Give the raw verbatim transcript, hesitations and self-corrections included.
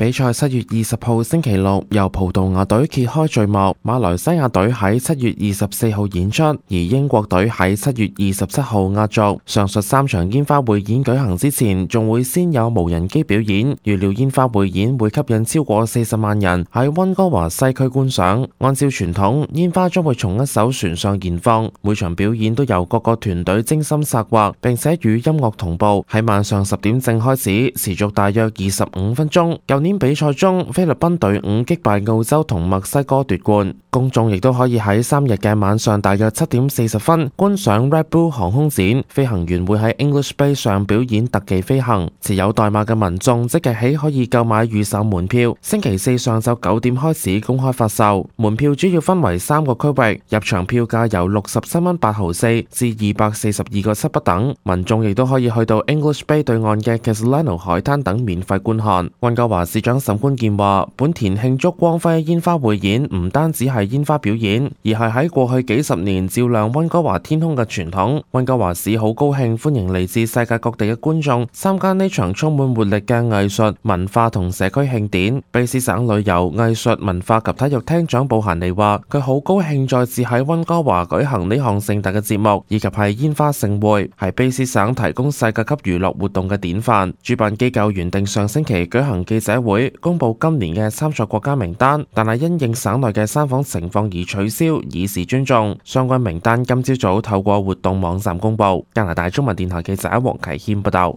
比賽七月二十號星期六由葡萄牙隊揭開序幕，馬來西亞隊喺七月二十四號演出，而英國隊喺七月二十七號壓軸。上述三場煙花匯演舉行之前，仲會先有無人機表演。預料煙花匯演會吸引超過四十萬人喺溫哥華西區觀賞。按照傳統，煙花將會從一艘船上燃放，每場表演都由各個團隊精心策劃，並且與音樂同步，喺晚上十點正開始，持續大約二十五分鐘。舊年比賽中，菲律賓隊伍擊敗澳洲同墨西哥奪冠。公眾亦都可以喺三日嘅晚上大約七點四十分觀賞 Red Bull 航空展，飛行員會喺 English Bay 上表演特技飛行。持有代碼嘅民眾即日起可以購買預售門票，星期四上晝九點開始公開發售。門票主要分為三個區域，入場票價由六十七蚊八毫四至二百四十二個七不等。民眾亦都可以去到 English Bay 對岸嘅 Casilano 海灘等免費觀看。溫哥華市長沈觀健話，本田慶祝光輝煙花匯演唔單止係煙花表演，而係喺過去幾十年照亮溫哥華天空嘅傳統。溫哥華市好高興歡迎嚟自世界各地嘅觀眾參加呢場充滿活力嘅藝術、文化同社區慶典。卑詩省旅遊、藝術、文化及體育廳長布閒尼話，佢好高興再次喺溫哥華舉行呢項盛大嘅節目，以及係煙花盛會，係卑詩省提供世界級娛樂活動嘅典範。主辦機構原定上星期舉行記者會，公布今年嘅參賽國家名單，但係因應省內嘅山火情況而取消，以示尊重。相關名單今朝早透過活動網站公布。加拿大中文電台記者黃啟謙報道。